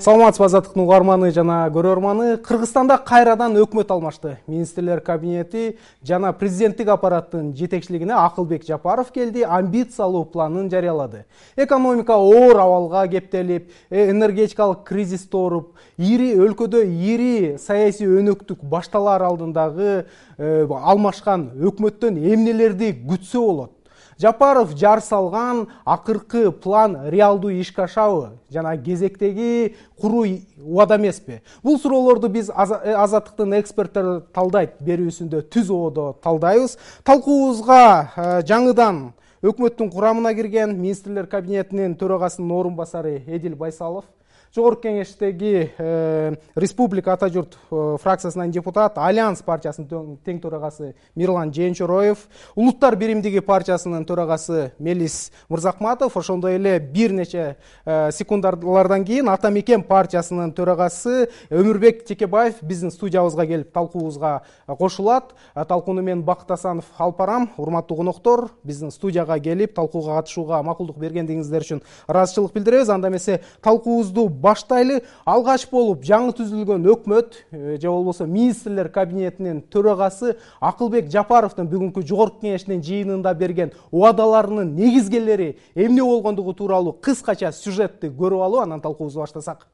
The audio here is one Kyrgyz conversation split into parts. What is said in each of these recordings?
Саламатсызбы Азаттыктын угарманы жана көрөрманы. Кыргызстанда кайрадан өкмөт алмашты. Министрлер кабинети жана президенттик аппараттын жетекчилигине Акылбек Жапаров келди, амбициялуу планын жарыялады. Экономика оор абалга кептелип, энергетикалык кризис тооруп, өлкөдө ири саясий өнөктүк башталар алдындагы алмашкан өкмөттөн эмнелерди күтсө болот? Жапаров жар салган акыркы план реалдуу ишке ашабы жана кезектеги куруу убада эмеспи? Бул суроолорду биз Азаттыктын эксперттери талдайт берүүсүндө түз ободо талдайбыз. Талкуубузга жаңыдан өкмөттүн курамына кирген министрлер кабинетинин төрагасынын орун басары Эдил Байсалов, Жогорку кеңештеги Республика Ата журт фракциясынан депутат, Альянс партиясынын тең төрагасы Мирлан Жээнчороев, Улуттар биримдиги партиясынын төрагасы Мелис Мырзакматов, ошондой эле бир нече секундалардан кийин Ата Мекен партиясынын төрагасы Өмүрбек Текебаев биздин студиябызга келип талкуубузга кошулат. Талкууну мен Бакыт Асанов алып барам. Урматтуу коноктор, биздин студияга келип талкууга катышууга макулдук бергендигиңиздер үчүн ыраазычылык билдиребиз. Анда эмесе талкуубузду баштайлы. Алгач болуп жаңы түзүлгөн өкмөт же болбосо министрлер кабинетинин төрагасы Акылбек Жапаровдун бүгүнкү жогорку кеңештин жыйынында берген убадаларынын негизгелери эмне болгондугу тууралуу кыскача сюжетти көрүп алып, анан талкуубузду баштасак.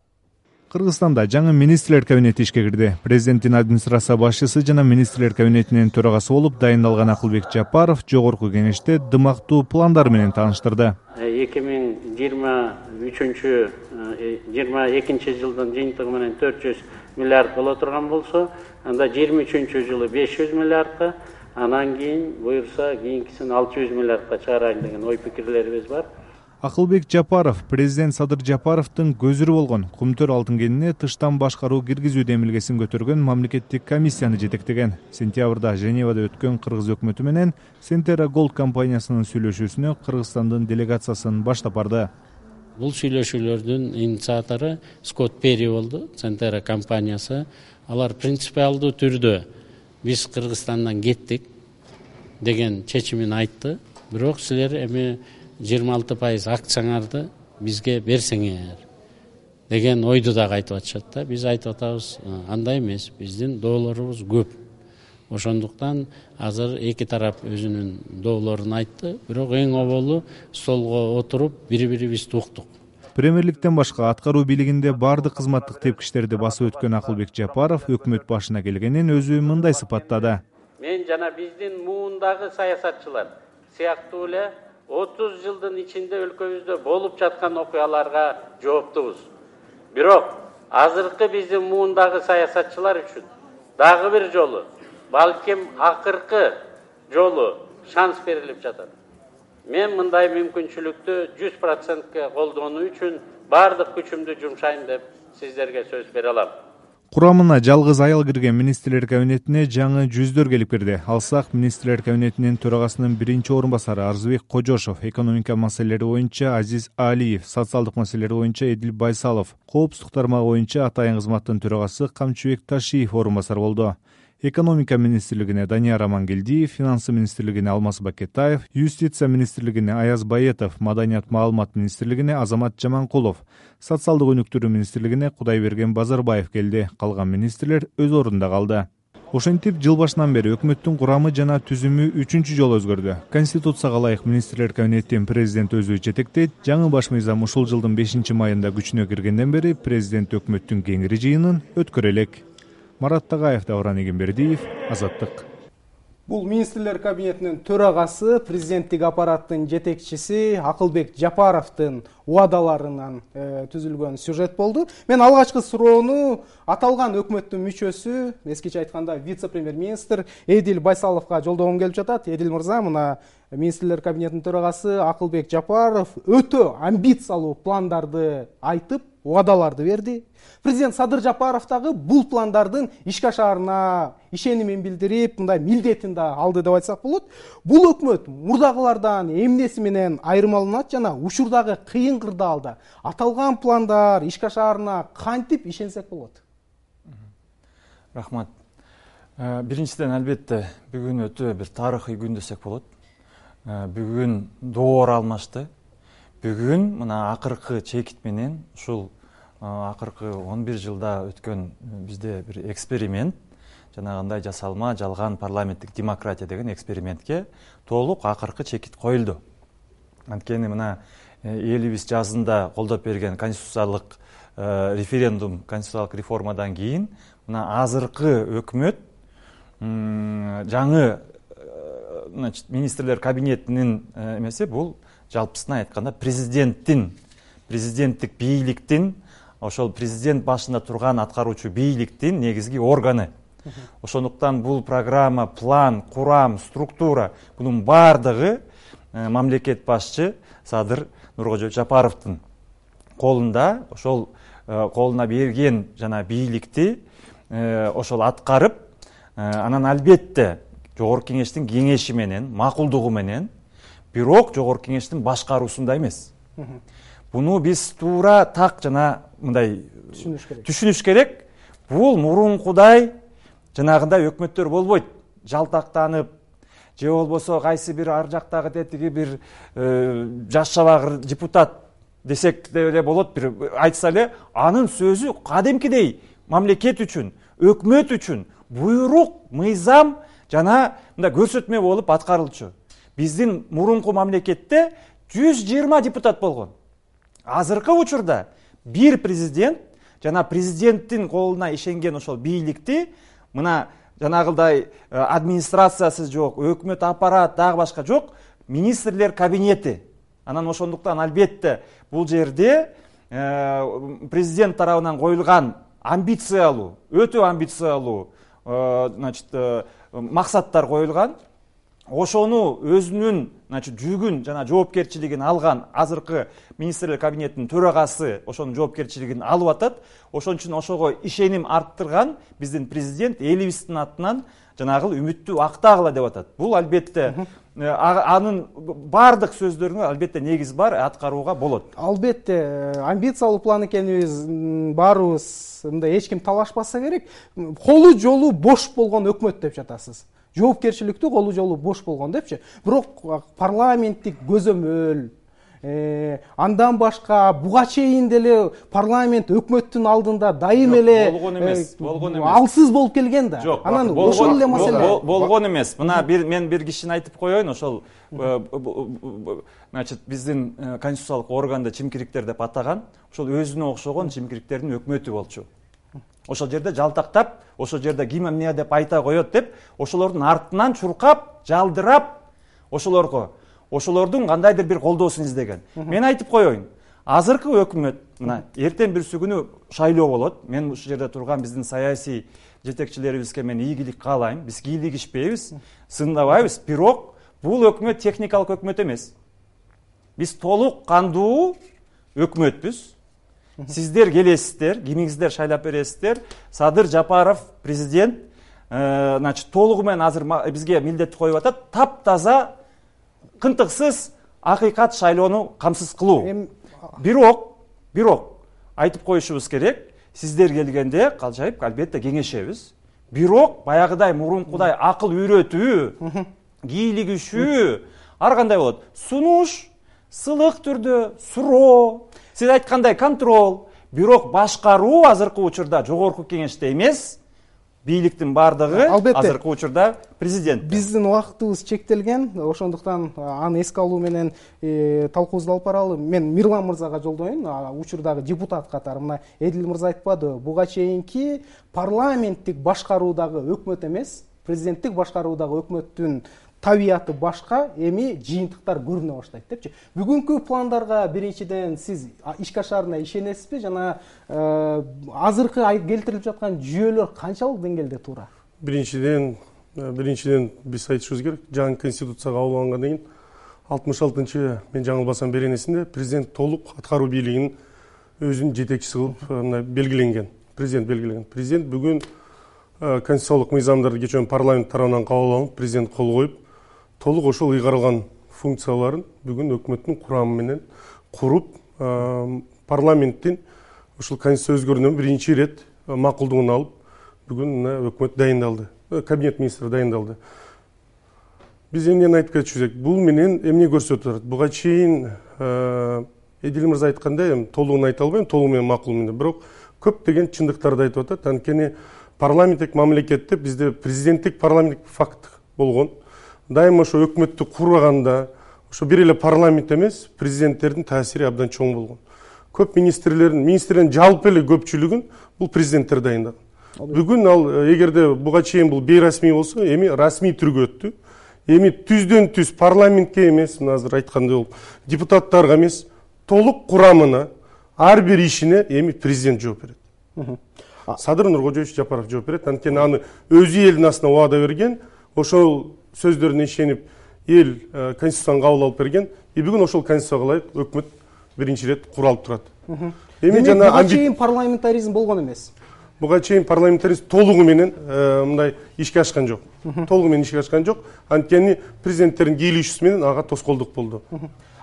Кыргызстанда жаңы министрлер кабинети ишке кирди. Президенттин администрация башчысы жана министрлер кабинетинин төрагасы болуп дайындалган Акылбек Жапаров жогорку кеңеште дымактуу пландар менен тааныштырды. 2022 жылдын жыйынтыгы менен 400 миллиард боло турган болсо, анда 23 жылы 500 миллиардка, анан кийин буюрса кийинкисин 600 миллиардка чыгарайын деген ой пикирлерибиз бар. Акылбек Жапаров президент Садыр Жапаровдун көзүрү болгон Кумтөр алтын кенине тыштан башкаруу киргизүү демилгесин көтөргөн мамлекеттик комиссияны жетектеген. Сентябрда Женевада өткөн кыргыз өкмөтү менен Сентера Голд компаниясынын сүйлөшүүсүнө Кыргызстандын делегациясын баштап барды. Бул сүйлөшүүлөрдүн инициатору Скотт Перри болду, Сентера компаниясы. Алар принципиалдуу түрдө биз Кыргызстандан кеттик деген чечимин айтты. Бирок силер эми 26% акцияңарды бизге берсеңер деген ойду дагы айтып атышат да. Биз айтып атабыз, андай эмес, биздин доолорубуз көп. Ошондуктан азыр эки тарап өзүнүн доолорун айтты, бирок эң оболу столго отуруп бири-бирибизди уктук. Премьерликтен башка аткаруу бийлигинде бардык кызматтык тепкичтерди басып өткөн Акылбек Жапаров өкмөт башына келгенин өзү мындай сыпаттады. Мен жана биздин муундагы саясатчылар сыяктуу эле 30 жылдын ичинде өлкөбүздө болуп жаткан окуяларга жооптубуз. Бирок азыркы биздин муундагы саясатчылар үчүн дагы бир жолу, балким акыркы жолу шанс берилип жатат. Мен мындай мүмкүнчүлүктү 100% колдонуу үчүн бардык күчүмдү жумшайм деп сиздерге сөз бере алам. Курамына жалгыз аял кирген министрлер кабинетине жаңы жүздөр келип кирди. Алсак, министрлер кабинетинин төрагасынын биринчи орун басары Арзыбек Кожошов, экономика маселелери боюнча Азиз Алиев, социалдык маселелер боюнча Эдил Байсалов, коопсуздук тармагы боюнча Атайын кызматтын төрагасы Камчыбек Ташиев орун басар болду. Экономика министрлигине Данияр Амангелдиев, финансы министрлигине Алмаз Бакетаев, юстиция министрлигине Аяз Баетов, маданият маалымат министрлигине Азамат Жаманкулов, социалдык өнүктүрүү министрлигине Кудайберген Базарбаев келди. Калган министрлер өз ордунда калды. Ошентип, жыл башынан бери өкмөттүн курамы жана түзүмү 3-чү жолу өзгөрдү. Конституцияга ылайык министрлер кабинетин президент өзү жетектейт. Жаңы баш мыйзам ушул жылдын 5-майында күчүнө киргенден бери президент өкмөттүн кеңири жыйынын өткөрө элек. Марат Тагаев, Давран Эгембердиев, Азаттык. Бул министрлер кабинетинин төрагасы, президенттик аппараттын жетекчиси Акылбек Жапаровдун убадаларынан түзүлгөн сюжет болду. Мен алгачкы суроону аталган өкмөттүн мүчөсү, эскиче айтканда вице-премьер-министр Эдил Байсаловго жолдогум келип жатат. Эдил мырза, мына министрлер кабинетинин төрагасы Акылбек Жапаров өтө амбициялуу пландарды айтып, убадаларды берди. Президент Садыр Жапаров дагы бул пландардын ишке ашаарына ишенимин билдирип, мындай милдетин да алды деп айтсак болот. Бул өкмөт мурдагылардан эмнеси менен айырмаланат жана учурдагы кыйын кырдаалда аталган пландар ишке ашаарына кантип ишенсек болот? Рахмат. Биринчиден, албетте, бүгүн өтө бир тарыхый күн десек болот. Бүгүн door алмашты. Бүгүн мына акыркы чекит менен ушул акыркы 11 жылда өткөн бизде бир эксперимент, жанагындай жасалма жалган парламенттик демократия деген экспериментке толук акыркы чекит коюлду. Анткени мына элибиз жазында колдоп берген конституциялык референдум, конституциялык реформадан кийин мына азыркы өкмөт жаңы министрлер кабинетинин эмеси бул жалпысына айтканда президенттик бийликтин, ошол президент башында турган аткаруучу бийликтин негизги органы. Ошондуктан бул программа, план, курам, структура бунун баардыгы мамлекет башчы Садыр Нуркожоевич Жапаровдун колунда. Ошол колуна берген жана бийликти ошол аткарып, анан албетте Жогорку кеңештин кеңеши менен, макулдугу менен, бирок Жогорку кеңештин башкаруусунда эмес. Буну биз туура так жана мындай түшүнүш керек. Бул мурункудай жанагындай өкмөттөр болбойт. Жалтактанып, же болбосо кайсы бир ар жактагы тетиги бир жаш чабагыр депутат десек деле болот, бир айтса эле, анын сөзү кадимкидей мамлекет үчүн, өкмөт үчүн буйрук, мыйзам жана мындай көрсөтмө болуп аткарылчу. Биздин мурунку мамлекетте 120 депутат болгон. Азыркы учурда бир президент жана президенттин колуна ишенген ошол бийликти мына жанагылдай администрациясы жок, өкмөт аппарат, дагы башка жок, министрлер кабинети. Анан ошондуктан албетте бул жерде президент тарабынан коюлган амбициялуу, өтө амбициялуу максаттар коюлган. Ошону өзүнүн жүгүн жана жоопкерчилигин алган азыркы министрлер кабинетинин төрагасы ошонун жоопкерчилигин алып атат. Ошон үчүн ошого ишеним арттырган биздин президент элибиздин атынан жанагыл үмүттү актагыла деп атат. Бул албетте анын баардык сөздөрүнө албетте негиз бар, аткарууга болот. Албетте амбициялуу план экенибиз баарыбыз мындай эч ким талашпаса керек. Колу жолу бош болгон өкмөт деп жатасыз. Жоопкерчиликтүү колу жолу бош болгон депчи. Бирок парламенттик көзөмөл, андан башка буга чейин деле парламент өкмөттүн алдында дайым эле болгон эмес. Алсыз болуп келген да. Анан ошол эле маселе болгон эмес. Мына мен бир кишини айтып коеюн, ошол биздин конституциялык органды чимкириктер деп атаган, ошол өзүнө окшогон чимкириктердин өкмөтү болчу. Ошол жерде жалтактап, ошол жерде ким эмне деп айта коет деп, ошолордун артынан чуркап, жалдырап, ошолордун кандайдыр бир колдоосун издеген. Мен айтып коеюн, азыркы өкмөт, мына эртең бүрсү күнү шайлоо болот. Мен ушул жерде турган биздин саясий жетекчилерибизге мен ийгилик каалайм. Биз кийлигишпейбиз, сындабайбыз, бирок бул өкмөт техникалык өкмөт эмес. Биз толук кандуу өкмөтпүз. Сиздер келесиздер, кимиңиздер шайлап бересиздер. Садыр Жапаров президент, толугу менен азыр бизге милдет коюп атат, таптаза, кынтыксыз, акыйкат шайлоону камсыз кылуу. Бирок айтып коюшубуз керек, сиздер келгенде калжайып албетте кеңешебиз. Бирок баягыдай мурункудай акыл үйрөтүү, кийлигишүү ар кандай болот. Сунуш, сылык түрдө, суроо, сиз айткандай контроль, бирок башкаруу азыркы учурда Жогорку кеңеште эмес, бийликтин бардыгы азыркы учурда президент. Биздин убактыбыз чектелген, ошондуктан аны эске алуу менен талкуубузду алып баралы. Мен Мирлан мырзага жолдоюн, учурдагы депутат катары. Мына Эдил мырза айтпадыбы, буга чейинки парламенттик башкаруудагы өкмөт эмес, президенттик башкаруудагы өкмөттүн табияты башка, эми жыйынтыктар көрүнө баштайт депчи. Бүгүнкү пландарга биринчиден сиз ишке ашарына ишенесизби жана азыркы келтирилип жаткан жүйөлөр канчалык деңгээлде туура? Биринчиден биз айтышыбыз керек. Жаңы конституцияга кабыл алынгандан кийин 66-чы мен жаңылбасам беренесинде президент толук аткаруу бийлигинин өзүнүн жетекчиси кылып белгиленген. Президент бүгүн конституциялык мыйзамдарды кечээ парламент тарабынан кабыл алынып, президент кол коюп, толук ошол ыйгарылган функцияларын бүгүн өкмөттүн курамы менен куруп, парламенттин ушул конституция өзгөрүүнөн биринчи ирет макулдугун алып, бүгүн өкмөт дайындалды, кабинет министри дайындалды. Биз эмнени айтып кетишибиз керек? Бул менен эмне көрсөтүп атат? Буга чейин Эдил мырза айткандай, эми толугун айта албайм, толугу менен макулмун деп, бирок көптөгөн чындыктарды айтып атат. Анткени парламенттик мамлекетте бизде президенттик парламенттик факт болгон. Дайыма ошо өкмөттү курганда ошо бир эле парламент эмес, президенттердин таасири абдан чоң болгон. Көп министрлердин жалпы эле көпчүлүгүн бул президенттер дайындаган. Бүгүн ал эгерде буга чейин бул бейрасмий болсо, эми расмий түргө өттү. Эми түздөн түз парламентке эмес, мына азыр айткандай болуп, депутаттарга эмес, толук курамына, ар бир ишине эми президент жооп берет. Садыр Нуркожоевич Жапаров жооп берет. Анткени аны өзү элдин астына убада берген, ошол сөздөрүнө ишенип эл конституцияны кабыл алып берген. Бүгүн ошол конституцияга ылайык өкмөт биринчи ирет куралып турат. Эми буга чейин парламентаризм болгон эмес. Буга чейин парламентаризм толугу менен мындай ишке ашкан жок. Толугу менен ишке ашкан жок. Анткени президенттердин кийлигишүүсү менен ага тоскоолдук болду.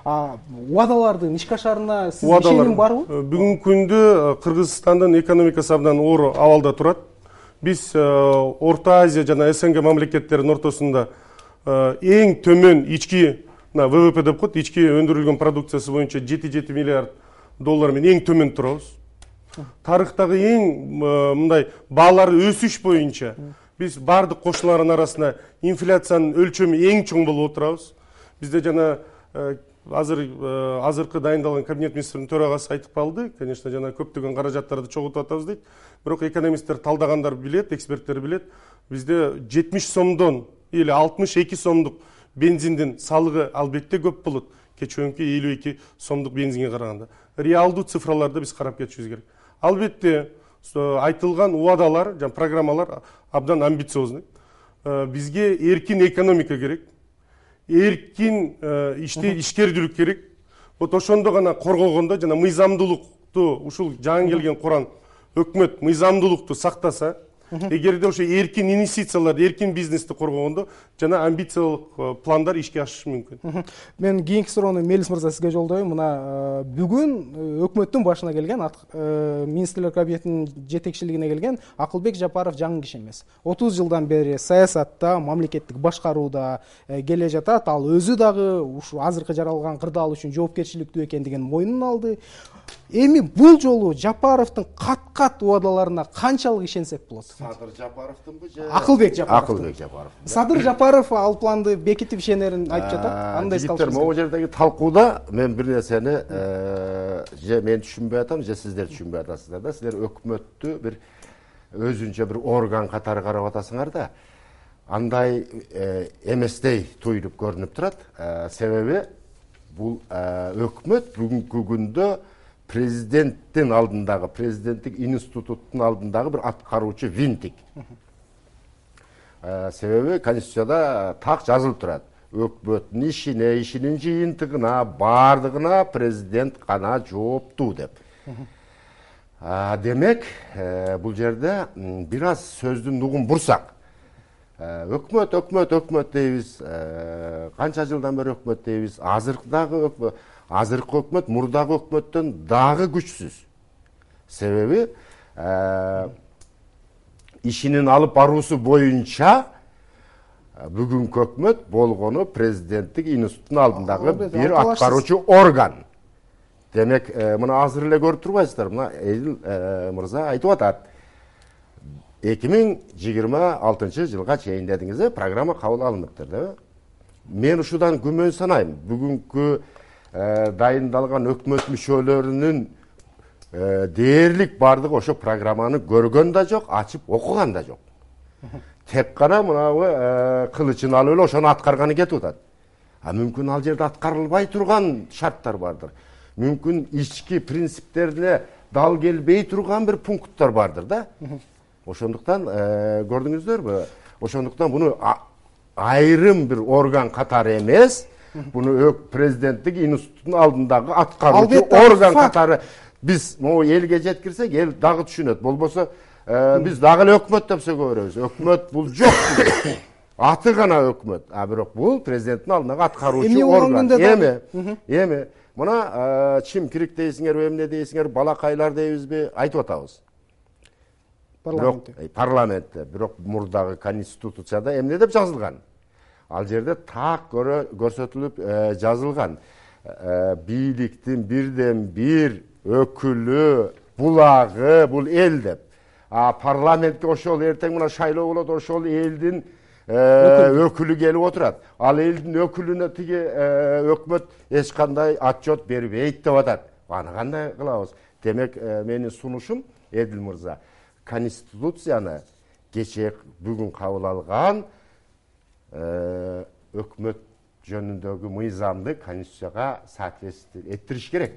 Убадалардын ишке ашарына сиз ишеним барбы? Бүгүнкү күндө Кыргызстандын экономикасы абдан оор абалда турат. Биз Орто Азия жана СНГ мамлекеттеринин ортосунда эң төмөн ички ВВП деп коет, ички өндүрүлгөн продукциясы боюнча 7 миллиард доллар менен эң төмөн турабыз. Тарыхтагы эң мындай баалары өсүш боюнча биз бардык кошуналардын арасында инфляциянын өлчөмү эң чоң болуп отурабыз. Бизде жана азыркы дайындалган кабинет министринин төрагасы айтып калды, конечно, жана көптөгөн каражаттарды чогултуп атабыз дейт. Бирок экономисттер талдагандар билет, эксперттер билет, бизде 70 сомдон или 62 сомдук бензиндин салыгы албетте көп болот. Кечөөнкү 52 сомдук бензинге караганда. Реалдуу цифраларды биз карап кетишибиз керек. Албетте айтылган убадалар жана программалар абдан амбициозный. Бизге эркин экономика керек. Эркин ишкердүүлүк керек. Вот ошондо гана коргогондо жана мыйзамдуулукту ушул жаңы келген курам өкмөт мыйзамдуулукту сактаса, эгерде ошо эркин инвестицияларды, эркин бизнести коргогондо жана амбициялык пландар ишке ашышы мүмкүн. Мен кийинки суроону Мелис мырза сизге жолдойм. Мына бүгүн өкмөттүн башына келген, министрлер кабинетинин жетекчилигине келген Акылбек Жапаров жаңы киши эмес. 30 жылдан бери саясатта, мамлекеттик башкарууда келе жатат. Ал өзү дагы ушу азыркы жаралган кырдаал үчүн жоопкерчиликтүү экендигин мойнуна алды. Эми бул жолу Жапаровдун кат-кат убадаларына канчалык ишенсек болот? Садыр Жапаровдунбу же Акылбек Жапаров. Акылбек Жапаров. Садыр Жапаров ал планды бекитип ишенерин айтып жатат. Андай калыштыр. Могу жердеги талкууда мен бир нерсени же мен түшүнбөй атам, же сиздер түшүнбөй атасыздар да. Сиздер өкмөттү бир өзүнчө бир орган катары карап атасыңар да. Андай эместей туюлуп көрүнүп турат. Себеби бул өкмөт бүгүнкү күндө президенттин алдындагы, президенттик институттун алдындагы бир аткаруучу винтик. Себеби конституцияда так жазылып турат. Өкмөттүн ишине, ишинин жыйынтыгына, бардыгына президент гана жооптуу деп. Демек, бул жерде бир аз сөздүн нугун бурсак, өкмөт дейбиз, канча жылдан бери өкмөт дейбиз, азыркы өкмөт мурдагы өкмөттөн дагы күчсүз. Себеби ишинин алып баруусу боюнча бүгүнкү өкмөт болгону президенттик институттун алдындагы бир аткаруучу орган. Демек, мына азыр эле көрүп турбайсыздар, мына Эдил мырза айтып атат. 2026 жылга чейин дедиңиз, программа кабыл алыныптыр, да? Мен ушудан күмөн санайм. Бүгүнкү дайындалган өкмөт мүчөлөрүнүн дээрлик бардыгы ошо программаны көргөн да жок, ачып окуган да жок. Тек гана мынабы кылычын алып эле ошону аткарганы кетип атат. Мүмкүн ал жерде аткарылбай турган шарттар бардыр. Мүмкүн ички принциптерине дал келбей турган бир пункттар бардыр да. Ошондуктан көрдүңүздөрбү? Ошондуктан буну айрым бир орган катары эмес, буну президенттик институттун алдындагы аткаруучу орган катары биз могу элге жеткирсек, эл дагы түшүнөт. Болбосо биз дагы эле өкмөт деп сөйгө беребиз. Өкмөт бул жок. Аты гана өкмөт. Бирок бул президенттин алдындагы аткаруучу орган. Эми мына чимкирик дейсиңерби, эмне дейсиңер, балакайлар дейбизби, айтып атабыз. Парламентте. Бирок мурдагы конституцияда эмне деп жазылган? Ал жерде так көрсөтүлүп жазылган. бийликтин бирден бир өкүлү, булагы бул эл деп. Парламентке ошол эртең мына шайлоо болот, ошол элдин өкүлү келип отурат. Ал элдин өкүлүнө тиги өкмөт эч кандай отчет бербейт деп атат. Аны кандай кылабыз? Демек, менин сунушум, Эдил мырза, Конституцияны кечээ бүгүн кабыл алган өкмөт жөнүндөгү мыйзамды Конституцияга соответствие эттириш керек.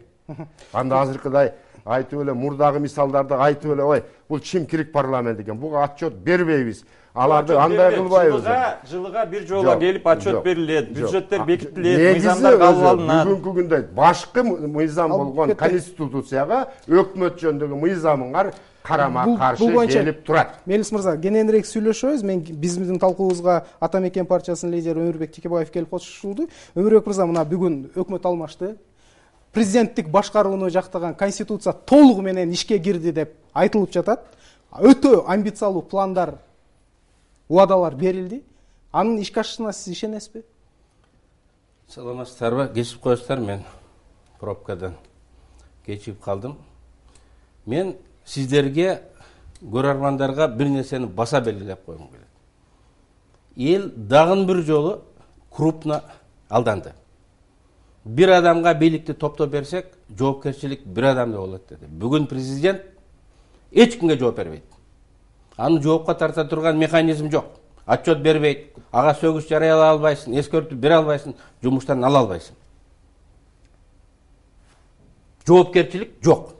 Анда азыркыдай айтып эле, мурдагы мисалдарды айтып эле, ой, бул чимкирик парламент экен, буга отчет бербейбиз. Аларды андай кылбайбыз. Жылыга бир жолу келип отчет берилет, бюджеттер бекитилет, мыйзамдар кабыл алынат. Бүгүнкү күндө башкы мыйзам болгон Конституцияга өкмөт жөнүндөгү мыйзамыңар карама каршы келип турат. Мелис мырза, кененирээк сүйлөшөбүз. Биздин талкуубузга Ата Мекен партиясынын лидери Өмүрбек Текебаев келип кошулду. Өмүрбек мырза, мына бүгүн өкмөт алмашты. Президенттик башкарууну жактаган Конституция толугу менен ишке кирди деп айтылып жатат. Өтө амбициялуу пландар, убадалар берилди. Анын ишке ашышына сиз ишенесизби? Саламатсыздарбы? Кечип коесуздар, мен пробкадан кечип калдым. Мен сиздерге, көрөрмандарга бир нерсени баса белгилеп койгум келет. Эл дагы бир жолу крупно алданды. Бир адамга бийликти топтоп берсек, жоопкерчилик бир адамда болот деди. Бүгүн президент эч кимге жооп бербейт. Аны жоопко тарта турган механизм жок. Отчет бербейт, ага сөгүш жарыялай албайсың, эскертүү бере албайсың, жумуштан ала албайсың. Жоопкерчилик жок.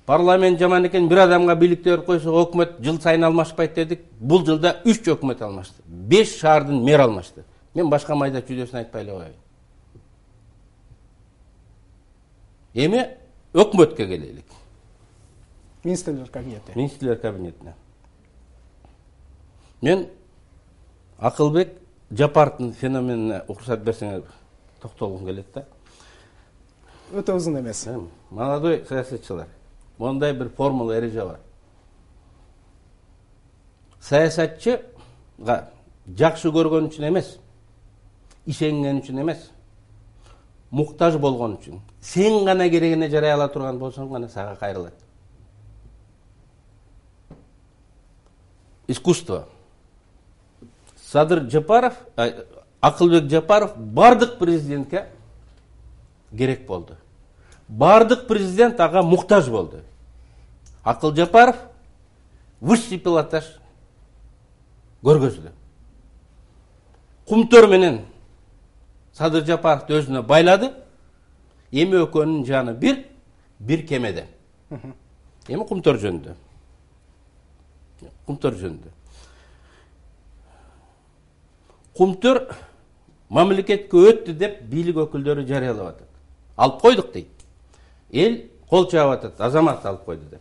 Парламент жаман экен, бир адамга бийликти берип койсо, өкмөт жыл сайын алмашпайт дедик. Бул жылда 3 өкмөт алмашты. 5 шаардын мэр алмашты. Мен башка майда чүйдөсүн айтпай эле коеюн. Эми өкмөткө келелик. Министрлер кабинети. Министрлер кабинетине. Мен Акылбек Жапаровдун феноменине уруксат берсеңер токтолгум келет да. Өтө узун эмес. Молодой саясатчылар. Мондай бир формула эреже бар. Саясатчыга жакшы көргөн үчүн эмес, ишенген үчүн эмес, муктаж болгон үчүн, сен гана керегине жарай ала турган болсоң гана сага кайрылат. Искусство. Садыр Жапаров, Акылбек Жапаров бардык президентке керек болду. Бардык президент ага муктаж болду. Акыл Жапаров высший пилотаж көргөздү. Кумтөр менен Садыр Жапаровду өзүнө байлады. Эми экөөнүн жаны бир кемеде. Эми Кумтөр жөнүндө. Кумтөр мамлекетке өттү деп бийлик өкүлдөрү жарыялап атат. Алып койдук дейт. Эл кол чаап атат, азамат алып койду деп.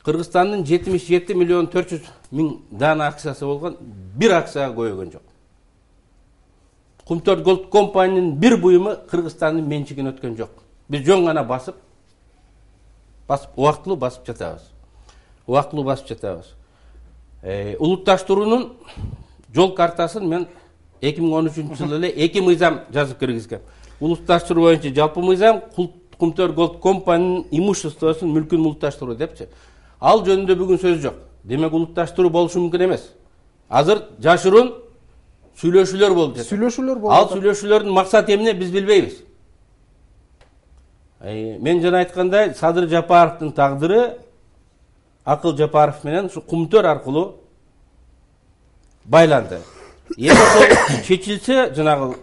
Кыргызстандын 77 миллион 400 миң дана акциясы болгон, бир акцияга көйгөн жок. Кумтөр Голд компаниянын бир буюму Кыргызстандын менчигине өткөн жок. Биз жөн гана басып убактылуу басып жатабыз. Улутташтыруунун жол картасын мен 2013-жылы эле 2 мыйзам жазып киргизгем. Улутташтыруу боюнча жалпы мыйзам, Кумтөр Голд компаниянын имуществосун, мүлкүн улутташтыруу депчи. Ал жөнүндө бүгүн сөз жок. Демек улутташтыруу болушу мүмкүн эмес. Азыр жашыруун сүйлөшүүлөр болуп жатат. Ал сүйлөшүүлөрдүн максаты эмне биз билбейбиз. Мен жана айткандай, Садыр Жапаровдун тагдыры Акыл Жапаров менен ушу Кумтөр аркылуу байланды. Эми чечилсе, жанагы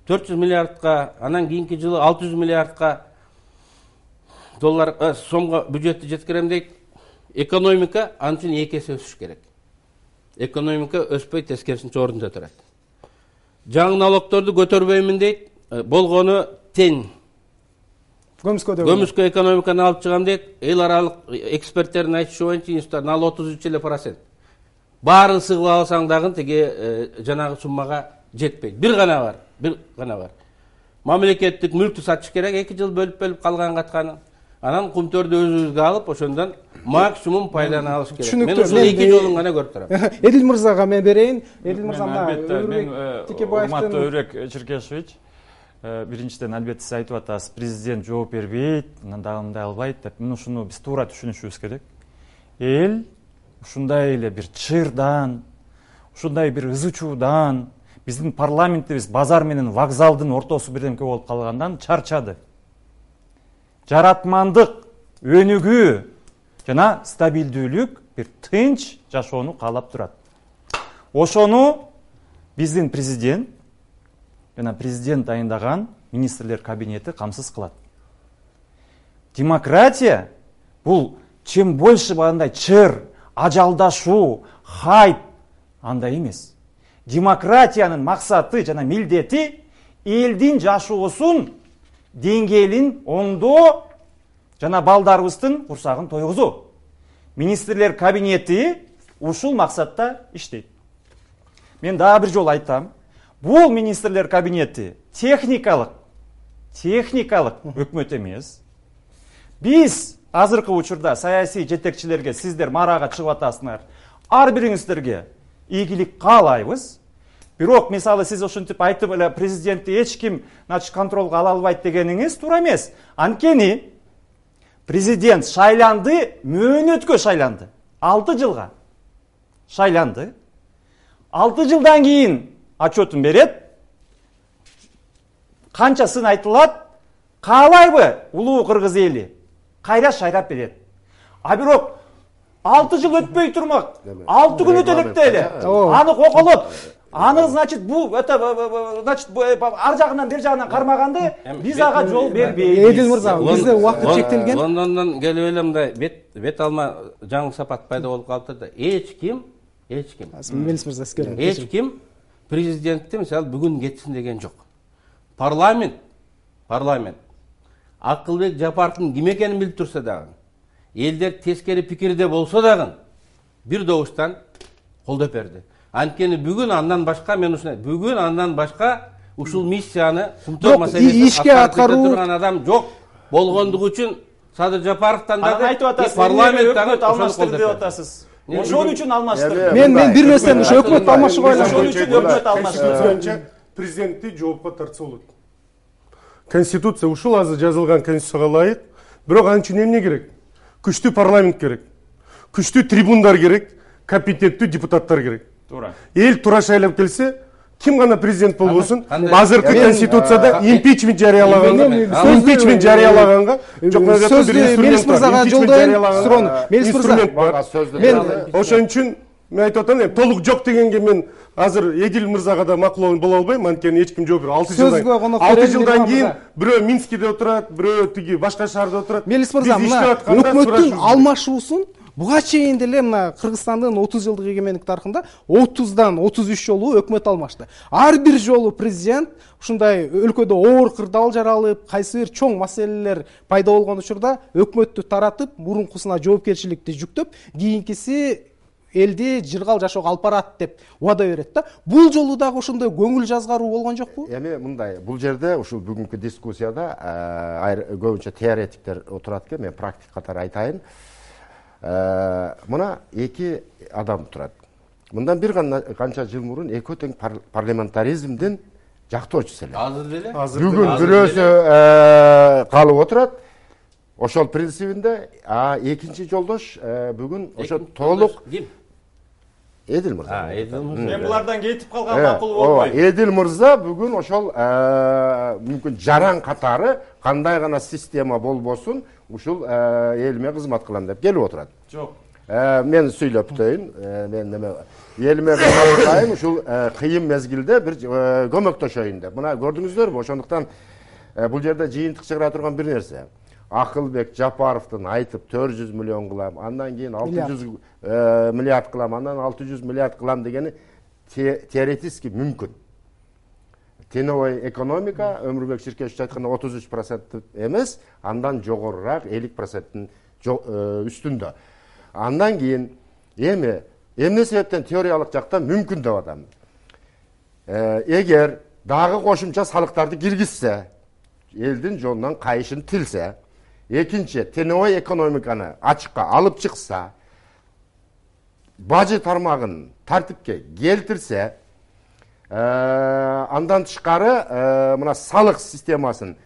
400 миллиардка, анан кийинки жылы 600 миллиардка доллар сомго бюджетти жеткирем дейт. Экономика анчын 2 эсе өсүш керек. Экономика өспөй, тескерисинче ордунда турат. Жаңы налогторду көтөрбөймүн дейт. Болгону тең. Көмүскө экономиканы алып чыгам дейт. Эл аралык эксперттердин айтышы боюнча институт налог 33%. Баарын сыгып алсаң дагы тиги жанагы суммага жетпейт. Бир гана бар. Мамлекеттик мүлктү сатыш керек, 2 жыл бөлүп калган катканы. Анан Кумтөрдү өзүбүзгө алып, ошондон максимум пайданы алыш керек. Мен ушул 2 жолун гана көрүп турам. Эдил мырзага мен берейин. Эдил мырза, Урматтуу Өрөк Черкешевич, биринчиден албетте сиз айтып атасыз, президент жооп бербейт, анан дагы мындай албайт деп. Мен ушуну биз туура түшүнүшүбүз керек. Эл ушундай эле бир чырдан, ушундай бир ызы чуудан, биздин парламентибиз базар менен вокзалдын ортосу бирдемке болуп калгандан чарчады. Жаратмандык өнүгүү жана стабилдүүлүк, бир тынч жашоону каалап турат. Ошону биздин президент жана президент дайындаган министрлер кабинети камсыз кылат. Демократия бул чем больше андай чыр, ажалдашуу, хайп андай эмес. Демократиянын максаты жана милдети элдин жашоосун деңгээлин оңдоо жана балдарыбыздын курсагын тойгузуу. Министрлер кабинети ушул максатта иштейт. Мен дагы бир жолу айтам. Бул министрлер кабинети техникалык өкмөт эмес. Биз азыркы учурда саясий жетекчилерге сиздер марага чыгып атасыңар. Ар бириңиздерге ийгилик каалайбыз. Бирок мисалы сиз ошентип айтып эле президентти эч ким контролго ала албайт дегениңиз туура эмес. Анткени президент шайланды, мөөнөткө шайланды. 6 жылга шайланды. 6 жылдан кийин отчетун берет. Канчасын айтылат, каалайбы улуу кыргыз эли кайра шайрап берет. А бирок 6 жыл өтпөй турмак. 6 күн өтө электе эле. Аны коколоп, аны значит бул ар жагынан бер жагынан кармаганды биз ага жол бербейбиз. Эдил мырза, бизде убакыт чектелген. Лондондон келип эле мындай бет алма жаңы сапат пайда болуп калыптыр да. Эч ким Мелис мырза сизге. Эч ким президентти мисалы бүгүн кетсин деген жок. Парламент Акылбек Жапаровдун ким экенин билип турса дагы, элдер тескери пикирде болсо дагы бир добуштан колдоп берди. Анткени бүгүн андан башка ушул миссияны кумтоо маселесин аткарып турган адам жок болгондугу үчүн Садыр Жапаровдон дагы парламенттагы алмаштырды деп атасыз. Ошон үчүн алмаштырды. Мен бир нерсени ушу өкмөт алмашууга Ошон үчүн өкмөт алмаштырды. Президентти жоопко тартса болот. Конституция ушул азыр жазылган конституцияга ылайык. Бирок ал үчүн эмне керек? Күчтүү парламент керек. Күчтүү трибундар керек, компетенттүү депутаттар керек. Туура. Эл туура шайлап келсе, ким гана президент болбосун, азыркы конституцияда импичмент жарыялаганга, Мелис мырзага жолдойм суроону. Мелис мырза, мен ошон үчүн мен айтып атам, толук жок дегенге мен азыр Эдил мырзага да макул боло албайм, анткени эч ким жооп бербейт. 6 жылдан кийин бирөө Минскиде отурат, бирөө тиги башка шаарда отурат. Мелис мырза, мына өкмөттүн алмашуусун буга чейин деле мына Кыргызстандын 30 жылдык эгемендик тарыхында 30дан 33 жолу өкмөт алмашты. Ар бир жолу президент ушундай өлкөдө оор кырдаал жаралып, кайсы бир чоң маселелер пайда болгон учурда өкмөттү таратып, мурункусуна жоопкерчиликти жүктөп, кийинкиси элди жыргал жашоого алып барат деп убада берет да. Бул жолу дагы ошондой көңүл жазгаруу болгон жокпу? Эми мындай, бул жерде ушул бүгүнкү дискуссияда көбүнчө теоретиктер отурат экен, мен практик катары айтайын. Мына эки адам турат. Мындан бир канча жыл мурун экөө тең парламентаризмдин жактоочусу эле. Азыр деле? Бүгүн бирөөсү калып отурат. Ошол принцибинде, экинчи жолдош бүгүн ошо толук Эдил мырза. Мен булардан кетип калган макул болбойт. Эдил мырза бүгүн ошол мүмкүн жаран катары кандай гана система болбосун ушул элиме кызмат кылам деп келип отурат. Жок. Мен сүйлөп өтөйүн. Мен неме элиме кызмат кылайын, ушул кыйын мезгилде бир көмөктөшөйүн деп. Мына көрдүңүздөрбү? Ошондуктан бул жерде жыйынтык чыгара турган бир нерсе. Акылбек Жапаровдун айтып 400 миллион кылам, андан кийин 600 миллиард кылам, андан 600 миллиард кылам дегени теоретически мүмкүн. Теневой экономика, Өмүрбек Ширкешевич айткандай 33% эмес, андан жогорураак 50%-тин үстүндө. Андан кийин эмне себептен теориялык жактан мүмкүн деп атам. Эгер дагы кошумча салыктарды киргизсе, элдин жолунан кайышын тилсе, экинчи теневой экономиканы ачыкка алып чыкса, бажы тармагын тартипке келтирсе, Андан тышкары мына салык системасын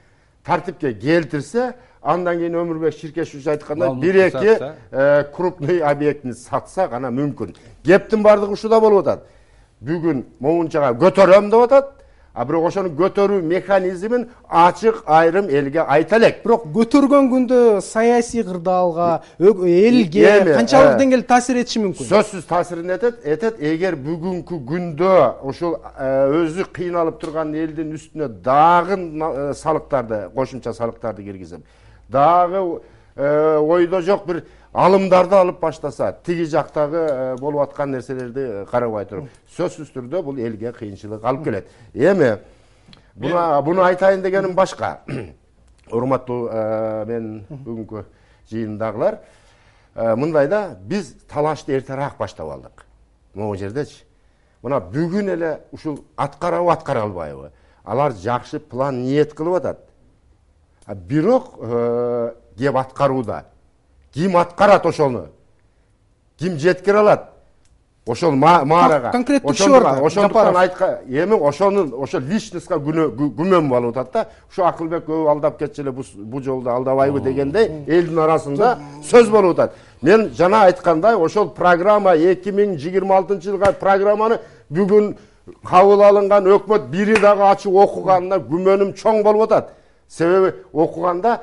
тартипке келтирсе, андан кийин Өмүрбек Ширкешевич айткандай 1-2 крупный объектini сатса гана мүмкүн. Кептин бардыгы ушуда болуп атат. Бүгүн моунчага көтөрөм деп атат. А бирок ошону көтөрүү механизмин ачык айрым элге айта элек. Бирок көтөргөн күндө саясий кырдаалга, элге канчалык деңгээлде таасир этиши мүмкүн? Сөзсүз таасирин этет. Эгер бүгүнкү күндө ошол өзү кыйналып турган элдин үстүнө дагы салыктарды, кошумча салыктарды киргизип, дагы ойдо жок бир алымдарды алып баштаса, тиги жактагы болуп аткан нерселерди карабай туруп, сөзсүз түрдө бул элге кыйынчылык алып келет. Эми буну айтайын дегеним башка. Урматтуу мен бүгүнкү жыйындагылар, мындай да, биз талашты эртерээк баштап алдык. Могу жердечи. Мына бүгүн эле ушул аткарабы, аткара албайбы? Алар жакшы план ниет кылып атат. Бирок кеп аткарууда ким аткарат ошону? Ким жеткире алат? Ошол маарага. Конкреттүү иши бар. Ошондуктан эми ошо личностька күмөн болуп атат да. Ушу Акылбек көп алдап кетчү эле, бу жолду алдабайбы дегендей элдин арасында сөз болуп атат. Мен жана айткандай, ошол программа 2026-жылга программаны бүгүн кабыл алынган өкмөт бири дагы ачып окуганына күмөнүм чоң болуп атат. Себеби окуганда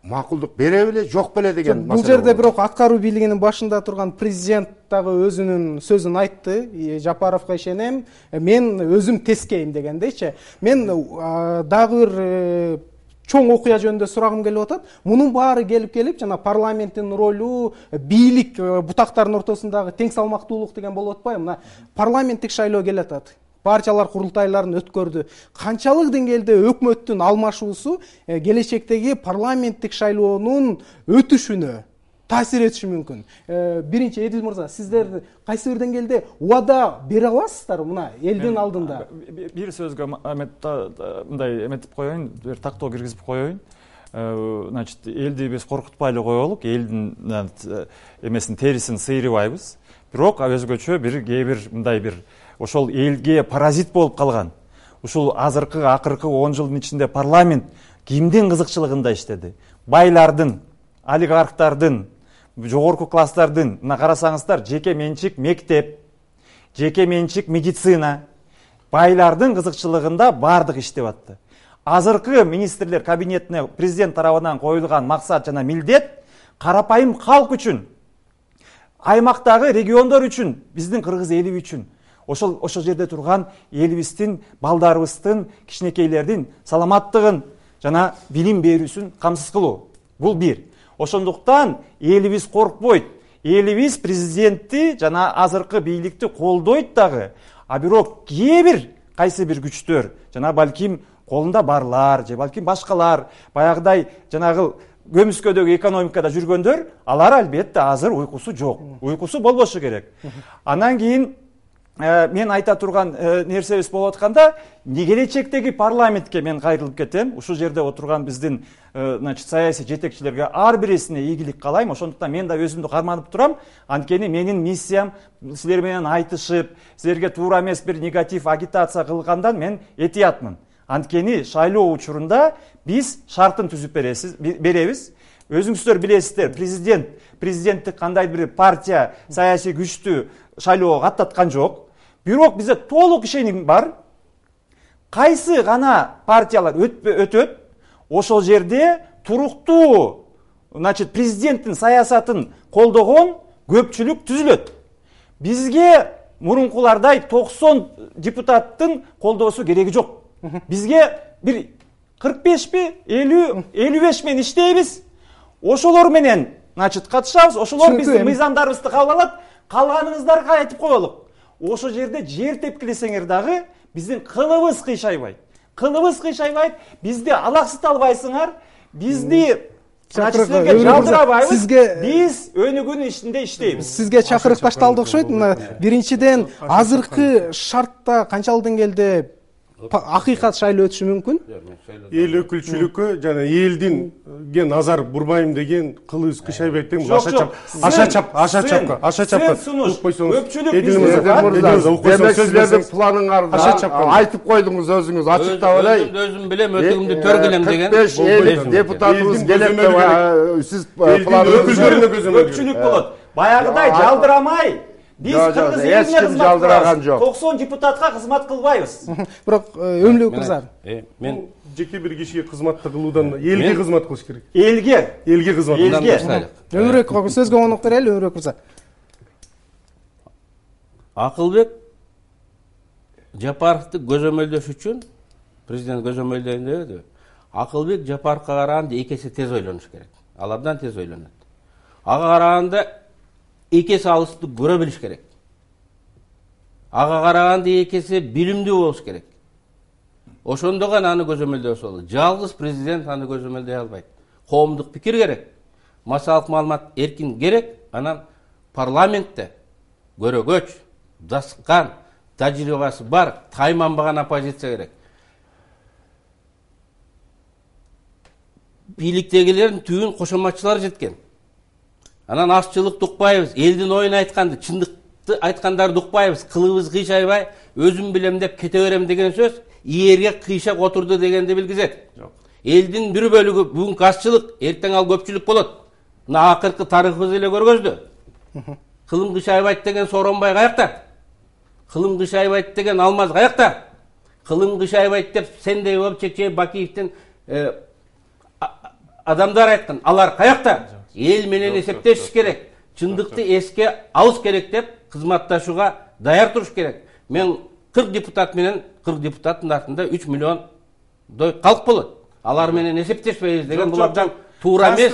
макулдук бере беле, жок беле деген маселе. Бул жерде бирок аткаруу бийлигинин башында турган президент дагы өзүнүн сөзүн айтты. Жапаровго ишенем, мен өзүм тескейм дегендейчи. Мен дагы бир чоң окуя жөнүндө сурагым келип атат. Мунун баары келип жана парламенттин ролу, бийлик бутактарынын ортосундагы тең салмактуулук деген болуп атпайбы? Мына парламенттик шайлоо келип атат. Партиялар курултайларын өткөрдү. Канчалык деңгээлде өкмөттүн алмашуусу келечектеги парламенттик шайлоонун өтүшүнө таасир этиши мүмкүн? Биринчи Эдил мырза, сиздер кайсы бир деңгээлде убада бере аласыздар мына элдин алдында? Бир сөзгө мындай эметип коеюн, бир тактоо киргизип коеюн. Значит, элди биз коркутпай эле коелук, элдин эмесин терисин сыйрыбайбыз. Бирок өзгөчө кээ бир мындай бир ошол элге паразит болуп калган. Ушул акыркы 10 жылдын ичинде парламент кимдин кызыкчылыгында иштеди? Байлардын, олигархтардын, жогорку класстардын. Мына карасаңыздар, жеке менчик мектеп, жеке менчик медицина байлардын кызыкчылыгында бардык иштеп атты. Азыркы министрлер кабинетине президент тарабынан коюлган максат жана милдет карапайым калк үчүн, аймактагы региондор үчүн, биздин кыргыз эли үчүн, ошол жерде турган элибиздин, балдарыбыздын, кичинекейлердин саламаттыгын жана билим берүүсүн камсыз кылуу. Бул бир. Ошондуктан элибиз коркпойт. Элибиз президентти жана азыркы бийликти колдойт дагы. А бирок кайсы бир күчтөр, жана балким колунда барлар, же балким башкалар, баягыдай жанагы көмүскөдөгү экономикада жүргөндөр, алар албетте азыр уйкусу жок. Уйкусу болбошу керек. Анан кийин мен айта турган нерсебиз болуп атканда, келечектеги парламентке мен кайрылып кетем. Ушул жерде отурган биздин саясий жетекчилерге ар бирисине ийгилик каалайм. Ошондуктан мен да өзүмдү карманып турам. Анткени менин миссиям силер менен айтышып, силерге туура эмес бир негатив агитация кылгандан мен этиятмын. Анткени шайлоо учурунда биз шартын түзүп беребиз. Өзүңүздөр билесиздер, президенттик кандай бир партия саясий күчтү шайлоого каттаткан жок. Бирок бизде толук ишеним бар. Кайсы гана партиялар өтөт, ошол жерде туруктуу, президенттин саясатын колдогон көпчүлүк түзүлөт. Бизге мурункулардай 90 депутаттын колдоосу кереги жок. Бизге бир 45 50 55 менен иштейбиз. Ошолор менен катышабыз, ошолор биздин мыйзамдарыбызды кабыл алат. Калганыңыздарга айтып коелук. Ошол жерде жер тепкилесеңер дагы биздин кылыбыз кыйшайбайт. Бизди алаксыта албайсыңар. Бизди силерге жалдырабайбыз. Биз өнүгүүнүн ичинде иштейбиз. Сизге чакырык башталды окшойт. Мына биринчиден азыркы шартта канчалык деңгээлде акыйкат шайлоо өтүшү мүмкүн. Эл өкүлчүлүккө жана элдинге назар бурбайм деген, кылыбыз кышайбайт деген аша чапка силердин планыңарды айтып койдуңуз өзүңүз ачыктап эле. Өзүм билем, өтүгүмдү төргүлем деген. 45 депутатыбыз келет деп сиз өкүлдөрүнө көпчүлүк болот. Баягыдай жалдырамай биз кыргыз элине кызмат кылабыз. 90 депутатка кызмат кылбайбыз. Бирок өмүлүк мырза. Мен жеке бир кишиге кызматты кылуудан элге кызмат кылыш керек. Элге кызмат. Өмүрөк сөзгө конок берели, Өмүрөк мырза. Акылбек Жапаровду көзөмөлдөш үчүн президент көзөмөлдөйүн дебеди. Акылбек Жапаровго караганда 2 эсе тез ойлонуш керек. Ал абдан тез ойлонот. Ага караганда 2 эсе алысты көрө билиш керек. Ага караганда 2 эсе билимдүү болуш керек. Ошондо гана аны көзөмөлдөбөс болот. Жалгыз президент аны көзөмөлдөй албайт. Коомдук пикир керек, массалык маалымат эркин керек, анан парламентте көрөгөч, дасыккан, тажрыйбасы бар, тайманбаган оппозиция керек. Бийликтегилердин түбүн кошоматчылар жеткен. Анан азчылыкты укпайбыз, элдин оюн айтканды, чындыкты айткандарды укпайбыз, кылыбыз кыйшайбай, өзүм билем деп кете берем деген сөз ийерге кыйшак отурду дегенди билгизет. Элдин бир бөлүгү бүгүнкү азчылык, эртең ал көпчүлүк болот. Мына акыркы тарыхыбыз эле көргөздү. Кылым кыйшайбайт деген Сооронбай каякта? Кылым кыйшайбайт деген Алмаз каякта? Кылым кыйшайбайт деп сендей болуп Чечен Бакиевдин адамдар айткан, алар каякта? Эл менен эсептешиш керек. Чындыкты эске алыш керек деп кызматташууга даяр туруш керек. Мен 40 депутат менен 40 депутаттын артында 3 миллиондой калк болот. Алар менен эсептешпейбиз деген бул абдан туура эмес.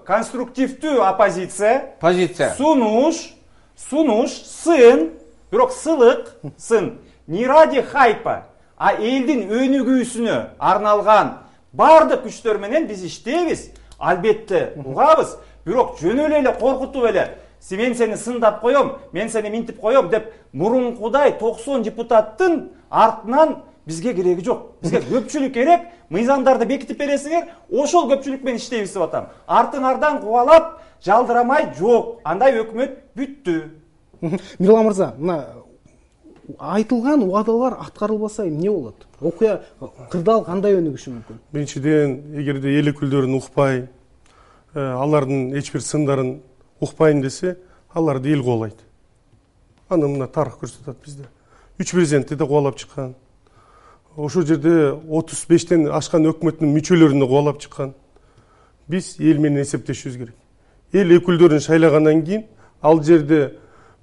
Конструктивдүү оппозиция. Позиция. Сунуш, сын, бирок сылык, сын. Не ради хайпа, а элдин өнүгүүсүнө арналган бардык күчтөр менен биз иштейбиз. Албетте угабыз, бирок жөн эле коркутуп эле мен сени сындап коем, мен сени минтип коем деп мурункудай 90 депутаттын артынан бизге кереги жок. Бизге көпчүлүк керек, мыйзамдарды бекитип бересиңер, ошол көпчүлүк менен иштейбиз деп атам. Артыңардан кубалап жалдырамай жок. Андай өкмөт бүттү. Мирлан мырза, мына айтылган убадалар аткарылбаса эмне болот? Окуя кырдаал кандай өнүгүшү мүмкүн? Биринчиден, эгерде эл өкүлдөрүн укпай, алардын эч бир сындарын укпайын десе, аларды эл кубалайт. Аны мына тарых көрсөтөт бизде. 3 президентти да кубалап чыккан. Ошол жерде 35тен ашкан өкмөттүн мүчөлөрүнө кубалап чыккан. Биз эл менен эсептешүүбүз керек. Эл өкүлдөрүн шайлагандан кийин ал жерде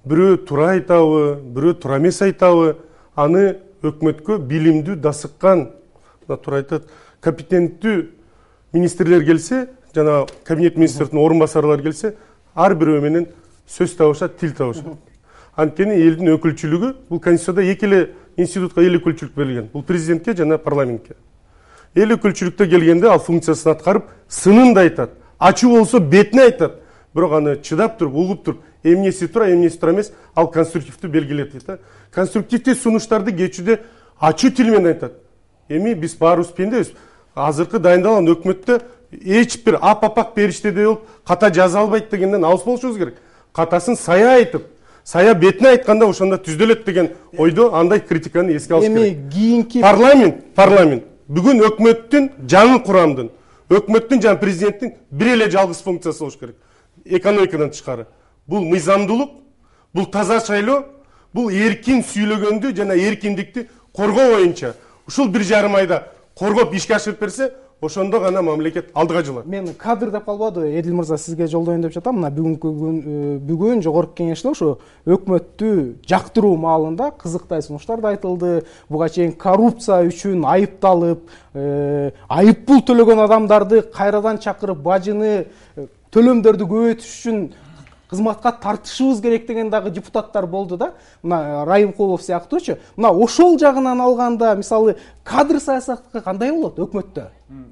бирөө туура айтабы, бирөө туура эмес айтабы, аны өкмөткө билимдүү, дасыккан, мына туура айтат, компетенттүү министрлер келсе, жана кабинет министрдин орун басарлары келсе, ар бирөө менен сөз табышат, тил табышат. Анткени элдин өкүлчүлүгү бул конституцияда 2 эле институтка эл өкүлчүлүк берилген. Бул президентке жана парламентке. Эл өкүлчүлүктө келгенде ал функциясын аткарып, сынын да айтат, ачуу болсо бетине айтат. Бирок аны чыдап туруп, угуп туруп, эмнеси туура эмес, ал конструктивдүү белгилеп дейт. Конструктивдүү сунуштарды кечүүде ачуу тил менен айтат. Эми биз баарыбыз пендебиз. Азыркы дайындалган өкмөттө эч бир ап-апак периштедей болуп ката жаза албайт дегенден алыс болушубуз керек. Катасын сая айтып, сая бетине айтканда ошондо түздөлөт деген ойдо андай критиканы эске алыш керек. Эми кийинки парламент бүгүн өкмөттүн жаңы курамдын, өкмөттүн жана президенттин бир эле жалгыз функциясы болуш керек. Экономикадан тышкары. Бул мыйзамдуулук, бул таза шайлоо, бул эркин сүйлөгөндү жана эркиндикти коргоо боюнча. Ушул 1,5 айда коргоп ишке ашырып берсе, ошондо гана мамлекет алдыга жылат. Мен кадр деп калбады, Эдил мырза, сизге жолдоюн деп жатам. Мына бүгүн жогорку кеңеште ошо өкмөттү жактыруу маалында кызыктай сунуштар да айтылды. Буга чейин коррупция үчүн айыпталып, айыппул төлөгөн адамдарды кайрадан чакырып, бажыны, төлөмдөрдү көбөйтүш үчүн кызматка тартышыбыз керек деген дагы депутаттар болду да. Мына Райымкулов сыяктуучу. Мына ошол жагынан алганда, мисалы, кадр саясаты кандай болот өкмөттө?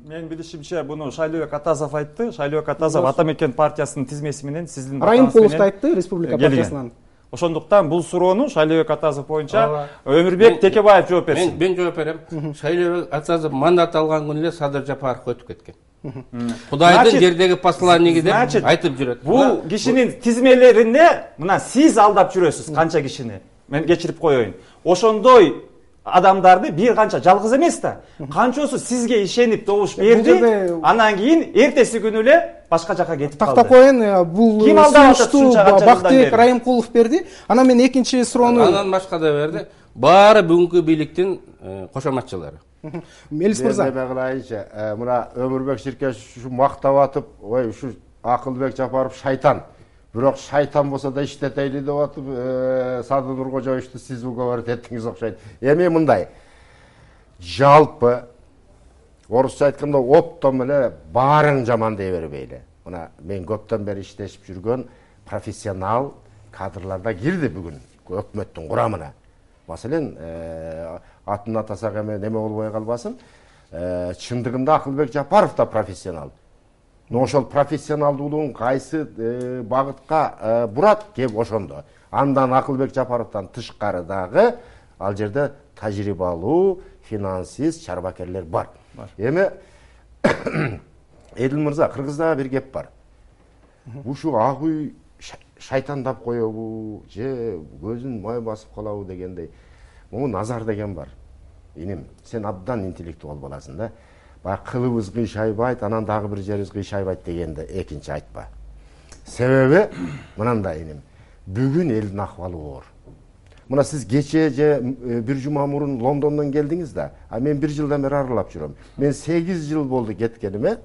Мен билишимче, буну Шайлообек Атазов айтты. Шайлообек Атазов Ата мекен партиясынын тизмеси менен сиздин Райымкулов айтты, Республика партиясынан. Ошондуктан бул суроону Шайлообек Атазов боюнча Өмүрбек Текебаев жооп берсин. Мен жооп берем. Шайлообек Атазов мандат алган күнү эле Садыр Жапаровго өтүп кеткен. Кудайдын жердеги посланниги деп айтып жүрөт. Бул кишинин тизмелеринде мына сиз алдап жүрөсүз канча кишини. Мен кечирип коеюн. Ошондой адамдарды бир канча жалгыз эмес да. Канчосу сизге ишенип добуш берди, анан кийин эртеси күнү эле башка жака кетип калды. Тактап коеюн, бул сунушту Бактыбек Райымкулов берди. Анан мен экинчи суроону анан башка да берди. Баары бүгүнкү бийликтин кошоматчылары. Мелис мырза. Мен кылайынчы, мына Өмүрбек Ширкеш ушу мактап атып, ой, ушу Акылбек Жапаров шайтан. Бирок шайтан болсо да иштетейли деп атып, Садыр Нуркожоевичту сиз уговаривать эттиңиз окшойт. Эми мындай. Жалпы орусча айтканда оптом эле баарын жаман дей бербейли. Мына мен көптөн бери иштешип жүргөн профессионал кадрларда кирди бүгүн өкмөттүн курамына. Маселен, атын атасак эми неме болбой калбасын. Чындыгында Акылбек Жапаров да профессионал. Но ошол профессионалдуулугун кайсы багытка бурат кеп ошондо. Андан Акылбек Жапаровдон тышкары дагы ал жерде тажрыйбалуу, финансист, чарбакерлер бар. Эми Эдил мырза, Кыргызда бир кеп бар. Ушу ак үй шайтандап коебу, же көзүн май басып калабы дегендей. Могу Назар деген бар. Иним, сен абдан интеллектуал баласың да. Баягы кылыбыз кыйшайбайт, анан дагы бир жерибиз кыйшайбайт дегенде экинчи айтпа. Себеби мынандай иним. Бүгүн элдин акыбалы оор. Мына сиз кече же бир жума мурун Лондондон келдиңиз да, а мен бир жылдан бери аралап жүрөм. Мен 8 жыл болду кеткениме,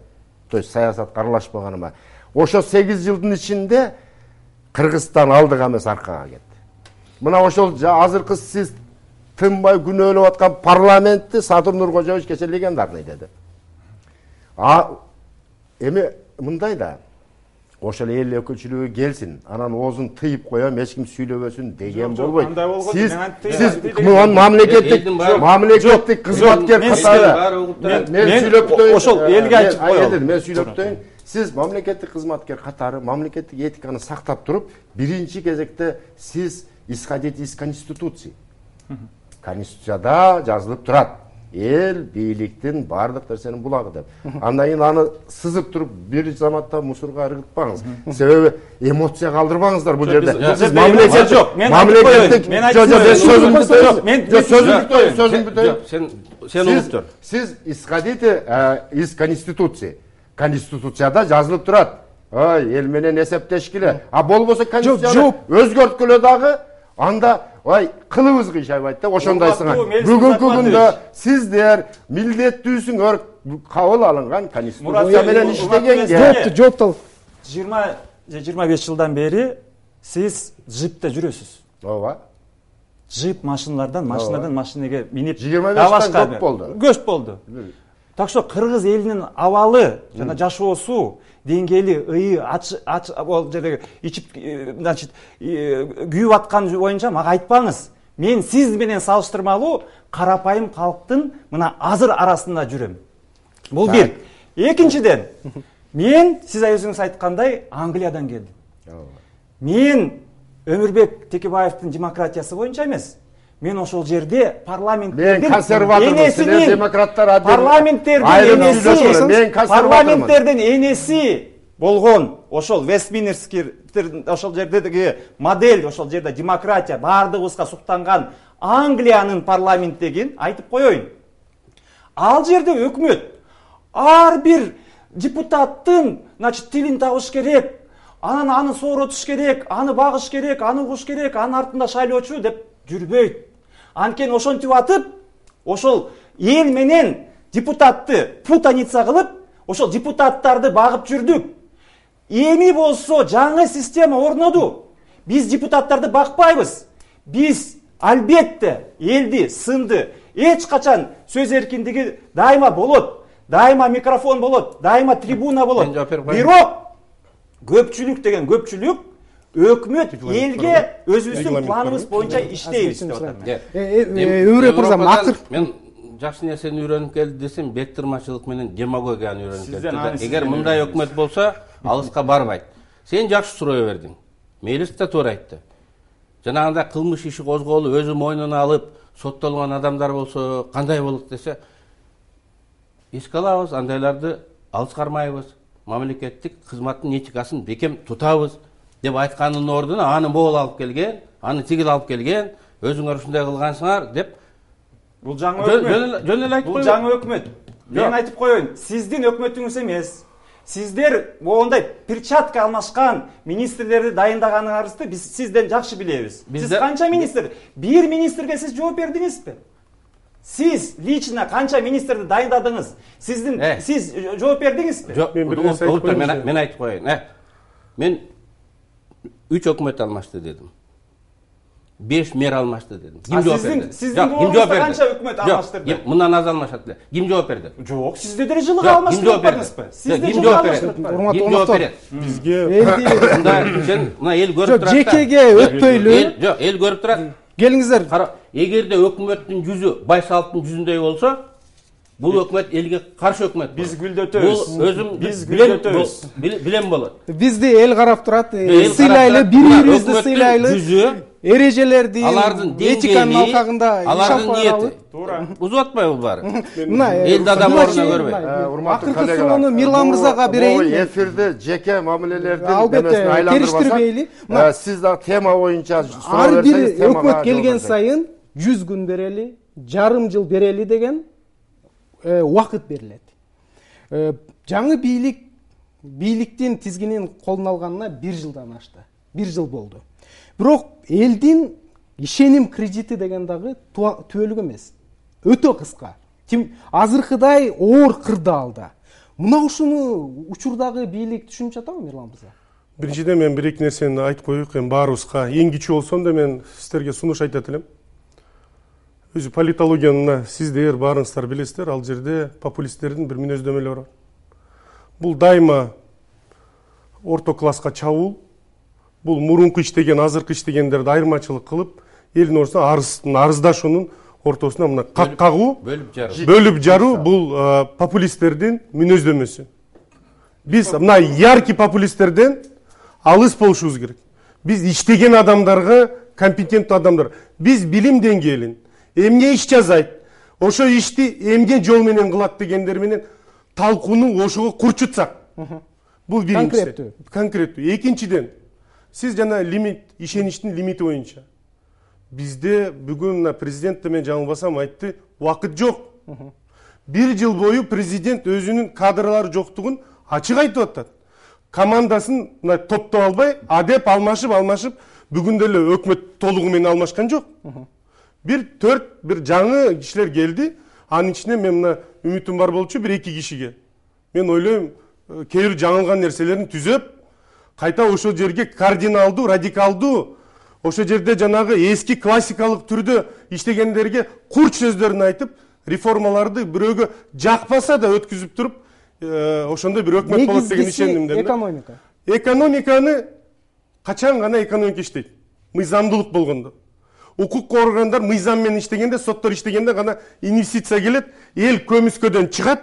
то есть саясатка аралашпаганыма. Ошо 8 жылдын ичинде Кыргызстан алдыга эмес аркага кетти. Мына ошол азыркы сиз тынбай күнөөлөп аткан парламентти Садыр Нуркожоевич кече легендарный деди. Эми мындай да, ошол эл өкүлчүлүгү келсин, анан оозун тыйып коем, эч ким сүйлөбөсүн деген болбойт. Сиз мамлекеттик кызматкер катары мен сүйлөп коеюн. Ошол элге айтып коелу. Мен сүйлөп коеюн. Сиз мамлекеттик кызматкер катары мамлекеттик этиканы сактап туруп, биринчи кезекте сиз исходить из Конституции. Конституцияда жазылып турат. Эл бийликтин бардык нерсенин булагы деп. Андан кийин аны сызып туруп бир заматта мусорго ыргытпаңыз. Себеби эмоция калтырбаңыздар бул жерде. Сиз мамлекет жок. Мамлекеттик Сен угуп тур. Сиз исходите из Конституции. Конституцияда жазылып турат. Ой, эл менен эсептешкиле. А болбосо Конституцияны өзгөрткүлө дагы анда ой, кылыбыз кыйшайбайт да ошондойсуңар. Бүгүнкү күндө сиздер милдеттүүсүңөр кабыл алынган Конституция менен иштегенге. Жооптол. 20 же 25 жылдан бери сиз джипте жүрөсүз. Ооба. Джип машиналардан машинеге минип 25 көп болду. Көч болду. Так что кыргыз элинин абалы жана жашоосу деңгээли ый ал жерде ичип значит күйүп аткан боюнча мага айтпаңыз. Мен сиз менен салыштырмалуу карапайым калктын мына азыр арасында жүрөм. Бул бир. Экинчиден, мен сиз өзүңүз айткандай Англиядан келдим. Мен Өмүрбек Текебаевдин демократиясы боюнча эмес. Мен ошол жерде парламенттердин парламенттердин энеси болгон ошол Вестминстер ошол жердеги модель, ошол жерде демократия баардыгыбызга суктанган Англиянын парламенттегин айтып коеюн. Ал жерде өкмөт ар бир депутаттын, значит, тилин табыш керек, анан аны сооротуш керек, аны багыш керек, аны угуш керек, анын артында шайлоочу деп жүрбөйт. Анткени ошентип атып, ошол эл менен депутатты путаница кылып, ошол депутаттарды багып жүрдүк. Эми болсо жаңы система орноду. Биз депутаттарды бакпайбыз. Биз албетте элди, сынды, эч качан сөз эркиндиги дайыма болот. Дайыма микрофон болот, дайыма трибуна болот. Бирок көпчүлүк деген көпчүлүк өкмөт элге өзүбүздүн планыбыз боюнча иштейбиз деп атам. Өмүрбек мырза, мен жакшы нерсени үйрөнүп келди десем, беттырмачылык менен демагогияны үйрөнүп келди. Эгер мындай өкмөт болсо, алыска барбайт. Сен жакшы суроо бердиң. Мелис да туура айтты. жанагындай кылмыш иши козголуп өзү мойнуна алып соттолгон адамдар болсо кандай болот десе, эске алабыз, андайларды алыс кармайбыз, мамлекеттик кызматтын этикасын бекем тутабыз деп айтканын ордуна аны могул алып келген, аны тигил алып келген, өзүңөр ушундай кылгансыңар деп Бул жаңы өкмөт. жөн эле айтып Бул жаңы өкмөт. Мен айтып коеюн, сиздин өкмөтүңүз эмес. Сиздер моундай перчатка алмашкан министрлерди дайындаганыңызды биз сизден жакшы билебиз. Сиз канча министр? Бир министрге сиз жооп бердиңизби? Сиз лично канча министрди дайындадыңыз? Сиз жооп бердиңизби? Жок, мен айтып коеюн. Мен 3 өкмөт алмашты дедим. 5 мэр алмашты дедим. Ким жооп берди? Сиздин боюңузда канча өкмөт алмаштырды? Мындан аз алмашат эле. Ким жооп берди? Жок, сизде деле жылга алмаштырбаңызбы? Сизде ким жооп берди? Ким жооп берет? Бизге мына эл көрүп турат. Жекеге өтпөйлү. Жок, эл көрүп турат. Келиңиздер. Кара, эгерде өкмөттүн жүзү Байсаловдун жүзүндөй болсо, бул өкмөт элге каршы өкмөт. Биз гүлдөтөбүз. Бул өзүм биз гүлдөтөбүз. Билем болот. Бизди эл карап турат. Сыйлайлы, бири-бирибизди сыйлайлы. Эрежелерди, этиканын алкагында иш алып баралы. Туура. Бузуп атпайбы бул баары? Мына элди адам ордуна көрбөй. Урматтуу Акыркы суроону Мирлан мырзага берейин. Эфирде жеке мамилелердин албетте териштирбейли. Сиз да тема боюнча ар бир өкмөт келген сайын 100 күн берели, жарым жыл берели деген убакыт берилет. Жаңы бийликтин тизгинин колуна алганына 1 жылдан ашты. 1 жыл болду. Бирок элдин ишеним кредити деген дагы түбөлүк эмес. Өтө кыска. Азыркыдай оор кырдаалда. Мына ушуну учурдагы бийлик түшүнүп жатабы, Мирлан мырза? Биринчиден мен 1-2 нерсени айтып коеюк, баарыбызга эң кичүү болсом да мен сиздерге сунуш айтат элем. Өзү политологияны сиздер баарыңыздар билесиздер, ал жерде популисттердин бир мүнөздөмөлөрү бар. Бул дайыма орто класска чабуул, бул мурунку иштеген, азыркы иштегендерди айырмачылык кылып, элдин ортосуна арыздашуунун ортосуна мына кагуу, бөлүп жаруу бул популисттердин мүнөздөмөсү. Биз мына яркий популисттерден алыс болушубуз керек. Биз иштеген адамдарга компетенттүү адамдар. Биз билим деңгээлин, эмне иш жасайт, ошо ишти эмне жол менен кылат дегендер менен талкууну ошого курчутсак. Бул биринчиси. Конкреттүү. Экинчиден, сиз жана лимит, ишеништин лимити боюнча. Бизде бүгүн президент мен жаңылбасам айтты, убакыт жок. 1 жыл бою президент өзүнүн кадрлары жоктугун ачык айтып атат. Командасын топтоп албай, адеп алмашып, бүгүн деле өкмөт толугу менен алмашкан жок. Бир жаңы кишилер келди. Анын ичинен мен мына үмүтүм бар болчу 1-2 кишиге. Мен ойлойм, кээ бир жаңылган нерселерин түзөп, кайта ошол жерге кардиналдуу, радикалдуу, ошол жерде жанагы эски классикалык түрдө иштегендерге курч сөздөрүн айтып, реформаларды бирөөгө жакпаса да өткүзүп туруп, ошондой бир өкмөт болот деген ишендим. Экономиканы качан гана экономика иштейт? Мыйзамдуулук болгондо. Укук органдар мыйзам менен иштегенде, соттор иштегенде гана инвестиция келет, эл көмүскөдөн чыгат.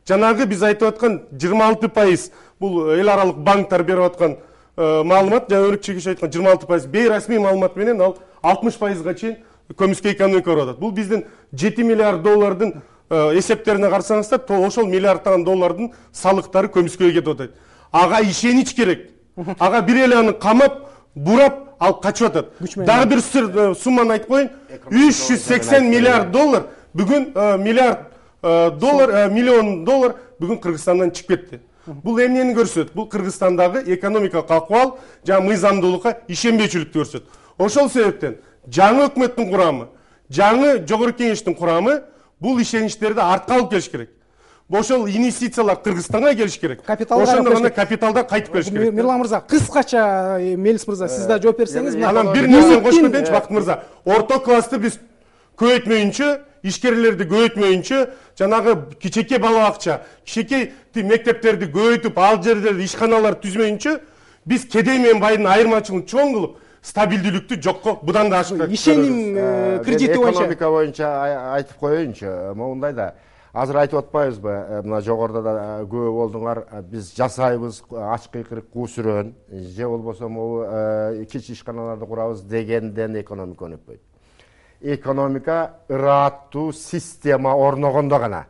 Жанагы биз айтып аткан 26% бул эл аралык банктар берип аткан маалымат, жана өрүкчегиш айткан 26% бейрасмий маалымат менен ал 60%га чейин көмүскө экономика барып атат. Бул биздин 7 миллиард доллардын эсептерине карасаңыздар, ошол миллиардтаган доллардын салыктары көмүскөгө кетип атат. Ага ишенич керек. Ага бир эле аны камап, бурап, ал качып атат. Дагы бир сумманы айтып коеюн. 380 миллиард доллар бүгүн миллион доллар бүгүн Кыргызстандан чыгып кетти. Бул эмнени көрсөтөт? Бул Кыргызстандагы экономикалык акыбал жана мыйзамдуулукка ишенбейчиликти көрсөтөт. Ошол себептен жаңы өкмөттүн курамы, жаңы жогорку кеңештин курамы бул ишеничтерди артка алып келиш керек. Ошол инвестициялар Кыргызстанга келиш керек. Ошондо гана капиталдар кайтып келиш керек. Мирлан мырза, кыскача Мелис мырза, сиз да жооп берсеңиз. Анан бир нерсени кошуп кетейинчи, Бакыт мырза. Орто классты биз көбөйтмөйүнчө, ишкерлерди көбөйтмөйүнчө, жанагы кичеке бала бакча, кичеке мектептерди көбөйтүп, ал жерлерде ишканалар түзмөйүнчө, биз кедей менен байдын айырмачылыгын чоң кылып, стабилдүүлүктү жокко будан да ашык. Ишеним кредити боюнча. Экономика боюнча айтып коеюнчу, моундай да. азыр айтып атпайбызбы, мына жогоруда да көп болдуңар, биз жасайбыз ачкы кырык куу сүрөн, же болбосо могу кичи ишканаларды курабыз дегенден экономика өнүкпөйт. Экономика ыраттуу система орногондо гана.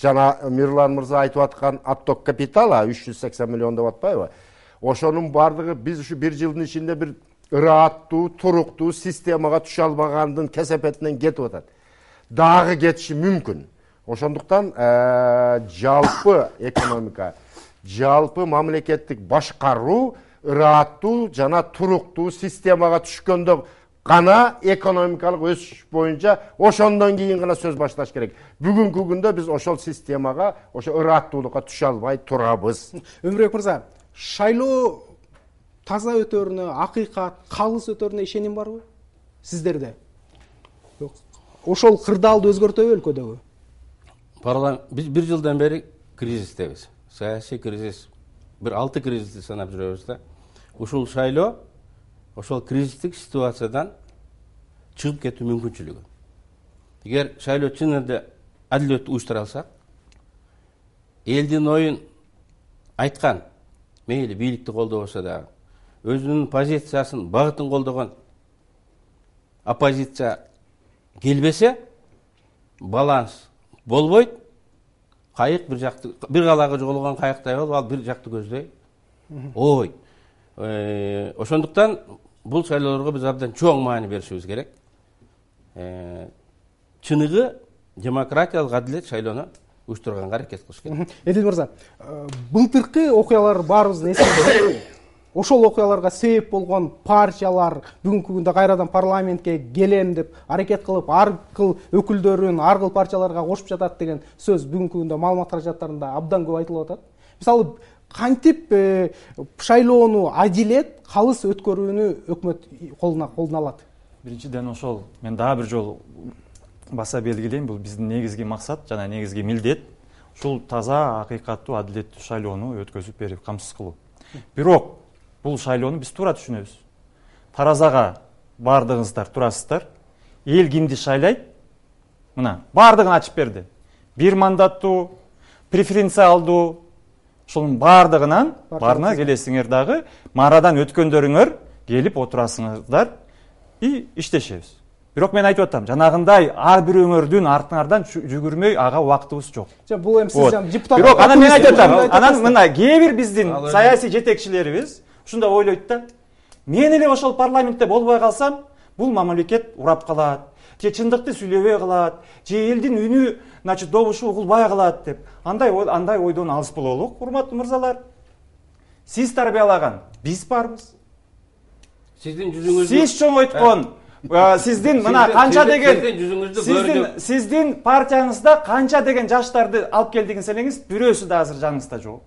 Жана Мирлан мырза айтып аткан отток капитала 380 миллион деп атпайбы? Ошонун бардыгы биз ушу 1 жылдын ичинде бир ыраттуу, туруктуу системага түшө албагандын кесепетинен кетип атат. Дагы кетиши мүмкүн. Ошондуктан жалпы экономика, жалпы мамлекеттик башкаруу ыраттуу жана туруктуу системага түшкөндө гана экономикалык өсүш боюнча ошондон кийин гана сөз башташ керек. Бүгүнкү күндө биз ошол системага, ошо ыраттуулукка түшө албай турабыз. Өмүрбек мырза, шайлоо таза өтөрүнө, акыйкат, калыс өтөрүнө ишеним барбы сиздерде? Ошол кырдаалды өзгөртөбү өлкөдөгү? Биз 1 жылдан бери кризистебиз. Саясий кризис. Бир 6 кризисти санап жүрөбүз да. Ушул шайлоо ошол кризистик ситуациядан чыгып кетүү мүмкүнчүлүгү. Эгер шайлоо чын эле адилеттүү уюштура алсак, элдин оюн айткан, мейли бийликти колдобосо дагы, өзүнүн позициясын, багытын колдогон оппозиция келбесе, баланс болбойт. Кайык бир калагы жоголгон кайыктай болуп, ал бир жакты көздөй ой. Ошондуктан бул шайлоолорго биз абдан чоң маани беришибиз керек. Чыныгы демократиялык адилет шайлоону уюштурганга аракет кылыш керек. Эдил мырза, былтыркы окуялар баарыбыздын эсинде. Ошол окуяларга себеп болгон партиялар бүгүнкү күндө кайрадан парламентке келем деп аракет кылып, ар кыл өкүлдөрүн ар кыл партияларга кошуп жатат деген сөз бүгүнкү күндө маалымат каражаттарында абдан көп айтылып атат. Мисалы, кантип шайлоону адилет, калыс өткөрүүнү өкмөт колуна алат? Биринчиден ошол мен дагы бир жолу баса белгилейм, бул биздин негизги максат жана негизги милдет ушул таза, акыйкаттуу, адилеттүү шайлоону өткөзүп берип камсыз кылуу. Бирок бул шайлоону биз туура түшүнөбүз. Таразага бардыгыңыздар турасыздар. Эл кимди шайлайт? Мына, бардыгын ачып берди. 1 мандаттуу, преференциалдуу, ошонун бардыгынан барына келесиңер дагы, марадан өткөндөрүңөр келип отурасыңыздар и иштешебиз. Бирок мен айтып атам, жанагындай ар бирөөңөрдүн артыңардан жүгүрмөй ага убактыбыз жок. Бул эми сиз депутат. Бирок анан мен айтып атам, анан мына кээ бир биздин саясий жетекчилерибиз ушундай ойлойт да. Мен эле ошол парламентте болбой калсам, бул мамлекет урап калат, же чындыкты сүйлөбөй калат, же элдин үнү, добушу угулбай калат деп. Андай ойдон алыс бололук, урматтуу мырзалар. Сиз тарбиялаган, биз барбыз. Сиздин жүзүңүздү Сиз чоңойткон, сиздин мына канча деген сиздин партияңызда канча деген жаштарды алып келдигин элеңиз, бирөөсү да азыр жаныңызда жок.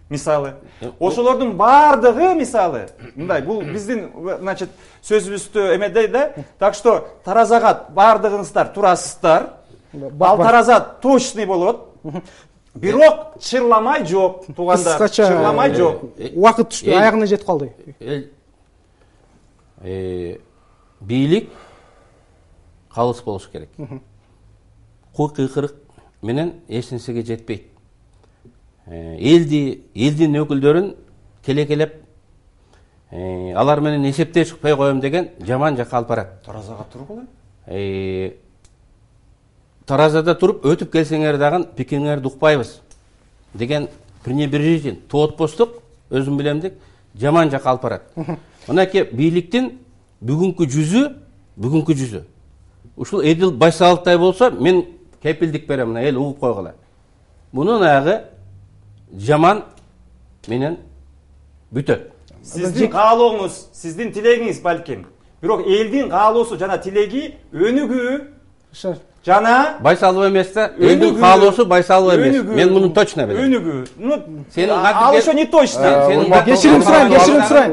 Мисалы, ошолордун бардыгы мисалы, мындай, бул биздин, сөзүбүздү эмедей да, так что таразага бардыгыңыздар турасыздар, ал тараза точный болот, бирок чырламай жок, туугандар, чырламай жок. Убакыт түштү, аягына жетип калды. Бийлик калыс болуш керек. Кыйкырык менен эч нерсеге жетпейт. Элдин өкүлдөрүн келекелеп алар менен эсептеш чыкпай коем деген жаман жакка алып барат. Таразага тургула. Таразада туруп өтүп келсеңер дагы пикириңерди укпайбыз деген пренебрежитель, тоотпостук, өзүм билемдик, жаман жакка алып барат. Мынакей бийликтин бүгүнкү жүзү ушул Эдил Байсаловтай болсо, мен кепилдик берем, мына эл угуп койгула. Мунун аягы жаман менен бүтөт. Сиздин каалооңуз, сиздин тилегиңиз балким. Бирок элдин каалоосу жана тилеги өнүгүү жана Байсалов эмес да, элдин каалоосу Байсалов эмес. Мен муну точно билем. Өнүгүү. Ал ошо не точно. Кечирим сурайм.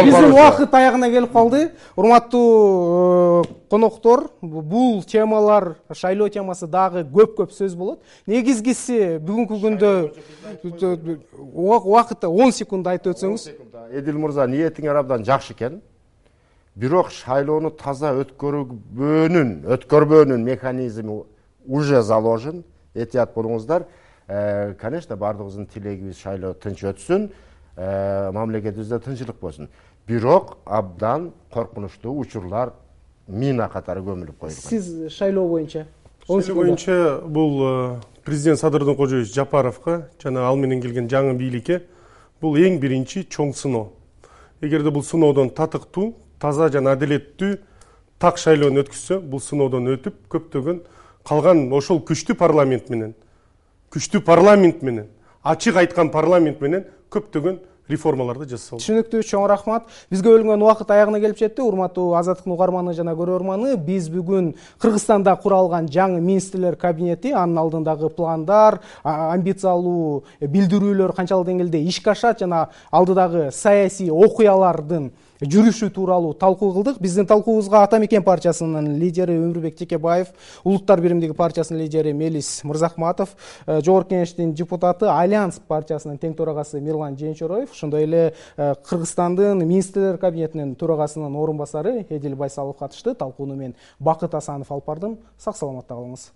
Биздин убакыт аягына келип калды. Урматтуу коноктор, бул темалар, шайлоо темасы дагы көп сөз болот. Негизгиси бүгүнкү күндө убакытта 10 секунд айтып өтсөңүз. Эдил мырза, ниетиңер абдан жакшы экен. Бирок шайлоону таза өткөрбөөнүн механизми уже заложен. этият болуңуздар. Конечно, бардыгыбыздын тилегибиз шайлоо тынч өтсүн, мамлекетибизде тынчылык болсун. Бирок абдан коркунучтуу учурлар мина катары көмүлүп коюлган. Сиз шайлоо боюнча? Шайлоо боюнча бул президент Садырдын Кожоевич Жапаровго жана ал менен келген жаңы бийликке бул эң биринчи чоң сыноо. Эгерде бул сыноодон татыктуу, таза жана адилеттүү так шайлоону өткүзсө, бул сыноодон өтүп көптөгөн калган ошол күчтүү парламент менен, ачык айткан парламент менен көптөгөн реформаларды жасалды. Түшүнүктүү, чоң рахмат. Бизге бөлүнгөн убакыт аягына келип жетти. Урматтуу Азаттыктын угарманы жана көрөрманы, биз бүгүн Кыргызстанда куралган жаңы министрлер кабинети, анын алдындагы пландар, амбициялуу билдирүүлөр канчалык деңгээлде ишке ашат жана алдыдагы саясий окуялардын жүрүшү тууралуу талкуу кылдык. Биздин талкуубузга Ата Мекен партиясынын лидери Өмүрбек Текебаев, Улуттар биримдиги партиясынын лидери Мелис Мырзахматов, Жогорку Кеңештин депутаты Альянс партиясынын тең төрагасы Мирлан Женчороев, ошондой эле Кыргызстандын министрлер кабинетинин төрагасынын орун басары Эдил Байсалов катышты. Талкууну мен Бакыт Асанов алып бардым. Сак саламатта калыңыз.